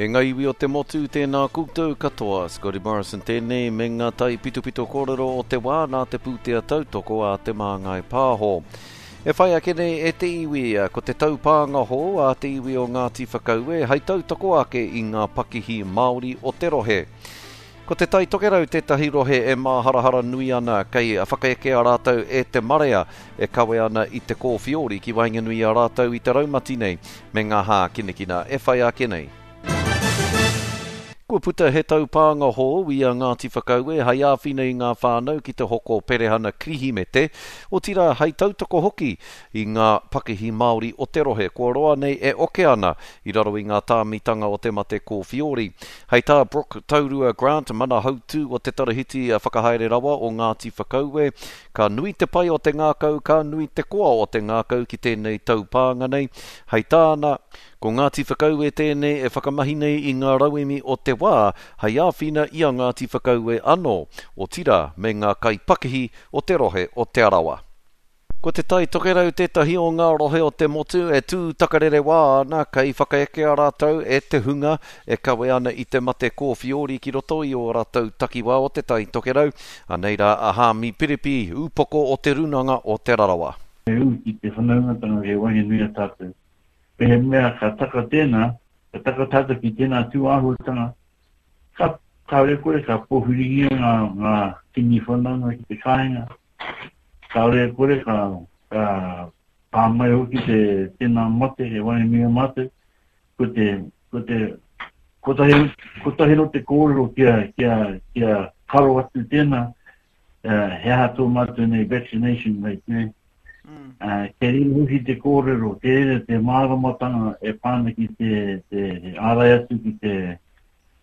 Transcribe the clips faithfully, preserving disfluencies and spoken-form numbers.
E ngā iwi o te motu, tēnā koutou katoa. Scotty Morrison tēnei me ngā tai pitopito kōrero o te wā nā te pūtea tautoko a Te Māngai Pāho. E whai ake nei e te iwi, ko te taupānga hou a te iwi o Ngāti Whakaue hei tautoko ake i ngā pakihi Māori o te rohe. Ko te Tai Tokerau tētahi rohe e māharahara nui ana kei whakaekea rātou e te marea e kawe ana i te kōwhiori ki waenganui i a rātou i te raumati nei me ngā hākinakina e whai ake nei. Kua puta he taupānga hou i a Ngāti Whakaue hei āwhina i ngā whānau ki te hoko perehana Kirihimete, otirā hei tautoko hoki i ngā pakihi Māori o te rohe kua roa nei e oke ana i raro i ngā tāmitanga o te mate kōwhiori. Hei tā Brooke Taurua Grant, mana hautū o te tarahiti whakahaere rawa o Ngāti Whakaue, ka nui te pai o te ngākau, ka nui te koa o te ngākau ki tēnei taupānga nei. Hei tāna, ko Ngāti Whakaue tēnei e whakamahi nei i ngā rauemi o te wā hei āwhina i a Ngāti Whakaue anō, otirā me ngā kaipakihi o te rohe o Te Arawa. Ko te Tai Tokerau tētahi o ngā rohe o te motu e tū takarere wā ana kei whakaekea rātou e te hunga e kawe ana i te mate kōwhiori ki roto i ō rātou takiwā o te Tai Tokerau. Anei rā a Hāmi Piripi, ūpoko o te Runanga o Te Rarawa. E ū ki te whanaungatanga kei waenganui a tātou. Mehemea ka taka tēnā, ka taka tātou ki tēnā tūāhuatanga, ka, kāore kore ka pōwhiringia ngā, ngā tini whanaunga ki te kāinga, kāore kore ka, ka pā mai hoki te tēnā mate e waenganui a mātou, ko te, ko te, kotahi, kotahi no te kōrero kia, kia, kia karo atu tēnā, uh, he aha tō mātou nei vaccination rate, ne? Mm. Uh, kei reira hoki te kōrero, kei reira te māramatanga e pā ana ki te, te ārai atu ki te,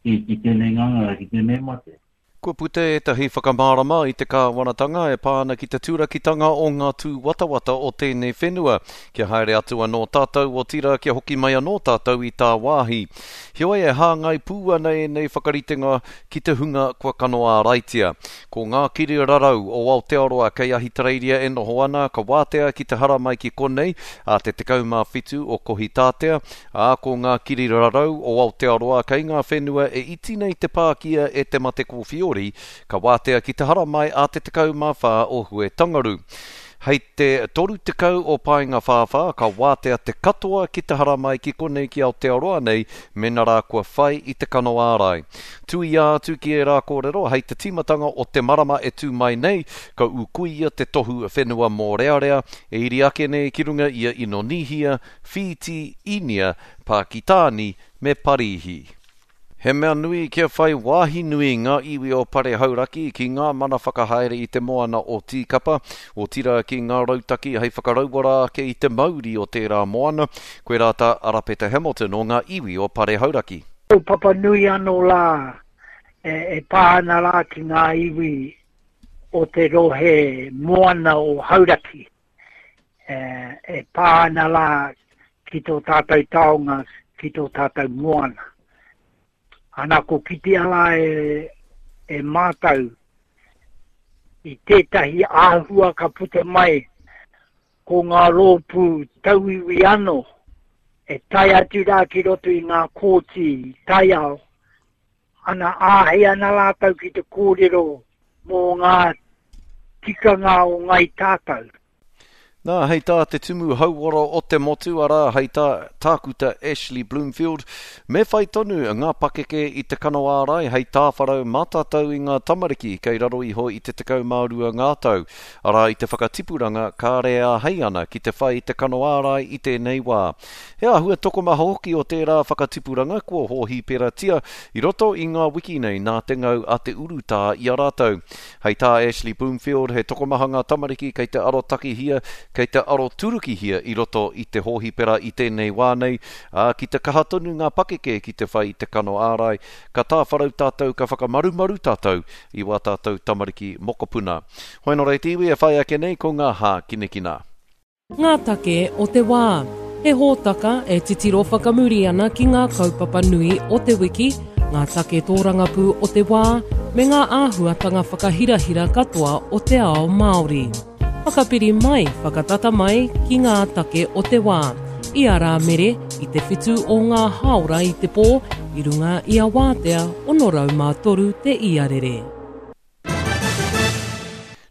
ki, ki tēnei ngangara, ki tēnei mate. Kua puta ētahi whakamārama i te kāwanatanga e pā ana ki te turakitanga o ngā tūwatawata o tēnei whenua. Kia haere atu anō tātou otirā kia hoki mai anō tātou i tāwāhi. Heoi e hāngai pū ana ēnei whakaritenga ki te hunga kua kano āraitia. Ko ngā kiri rarau o Aotearoa kei Ahitereiria e noho ana, ka wātea ki te haramai ki konei a te tekau mā whitu o Kohitātea, ā ko ngā kiri rarau o Aotearoa kei ngā whenua e iti nei te pākia e te mate kōwhiori, ka wātea ki te haramai a te tekau mā whā o Huetangaru. Hei te toru tekau o Paenga Whāwhā, ka wātea te katoa ki te haramai ki konei ki Aotearoa nei, mena rā kua whai i te kano ārai. Tuia atu ki ērā kōrero, hei te tīmatanga o te marama e tū mai nei, ka ūkuia te tohu whenua mōrearea, e iri ake nei ki runga ia Inonihia, Whīti, Īnia, Pākitāni me Parīhi. He mea nui kia whai wāhi nui ngā iwi o Pare Hauraki ki ngā mana whakahaere i te moana o Tīkapa, otirā ki ngā rautaki hei whakarauora ake i te mauri o tērā moana, koe rā tā Arapeta Hamilton o ngā iwi o Pare Hauraki. Kaupapa nui anō rā e, e pā ana rā ki ngā iwi o te rohe moana o Hauraki. E, e pā ana rā ki tō tātou taonga, ki tō tātou moana. Ana ko kitea rā e, e mātou i tētahi āhua ka puta mai ko ngā rōpū tauiwi anō e tae atu rā ki roto i ngā kōti taiao. Ana āhei ana rātou ki te kōrero mō ngā tikanga o ngai tātou. Nā, hei tā te tumu hauora o te motu, arā, hei tā Tākuta Ashley Bloomfield, me whai tonu ngā pakeke i te kano ārai hei tāwharau mā tātou i ngā tamariki kei raro iho i te tekau mā rua ngā tau. Arā, i te whakatipuranga kāre āhei ana ki te whai i te kano ārai i tēnei wā. He āhua tokomaha hoki o tērā whakatipuranga kua hōhiperatia i roto i ngā wiki nei nā te ngau a te urutā i a rātou. Hei tā Ashley Bloomfield, he tokomaha ngā tamariki kei te arotakihia, kei te aroturukihia i roto i te hōhipera i tēnei wā nei, ā, ki te kaha tonu ngā pakeke ki te whai i te kano ārai, ka tāwharau tātou, ka whakamarumaru tātou i wā tātou tamariki mokopuna. Hoi nō reira te iwi e whai ake nei ko ngā hākinakina. Ngā take o te wā. He hōtaka e titiro whakamuri ana ki ngā kaupapa nui o te wiki, ngā take tōrangapū o te wā, me ngā āhuatanga whakahirahira katoa o te ao Māori. Whakapiri mai, whakatata mai ki ngā take o te wā. i a Rāmere i te whitu o ngā hāora i te pō i runga i a Wātea ono rau mā toru te iarere.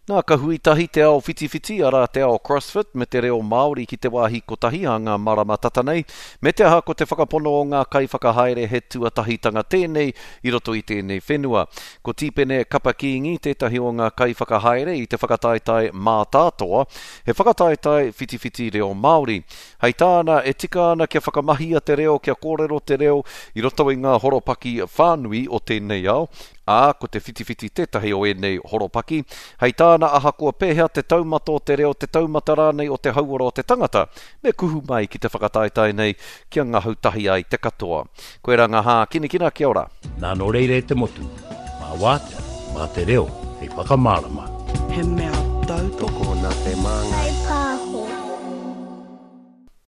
Nā, ka hui tahi te ao whitiwhiti, arā te ao CrossFit, me te reo Māori ki te wāhi kotahi a ngā marama tata nei, me te aha ko te whakapono o ngā kaiwhakahaere he tuatahitanga tēnei i roto i tēnei whenua. Ko Tīpene Kapa Kīngi tētahi o ngā kaiwhakahaere i te whakataetae mātātoa, he whakataetae whitiwhiti reo Māori. Hei tāna, e tika ana kia whakamahia te reo, kia kōrero te reo i roto i ngā horopaki whānui o tēnei ao, ā, ko te whitiwhiti tētahi o ēnei horopaki. Hei tāna, ahakoa pēhea te taumata o te reo, te taumata rānei o te hauora o te tangata, me kuhu mai ki te whakataetae nei kia ngahau tahi ai te katoa. Koirā ngā hākinakina, kia ora. Nā nō reira e te motu, mā Wātea, mā te reo, hei whakamārama. He mea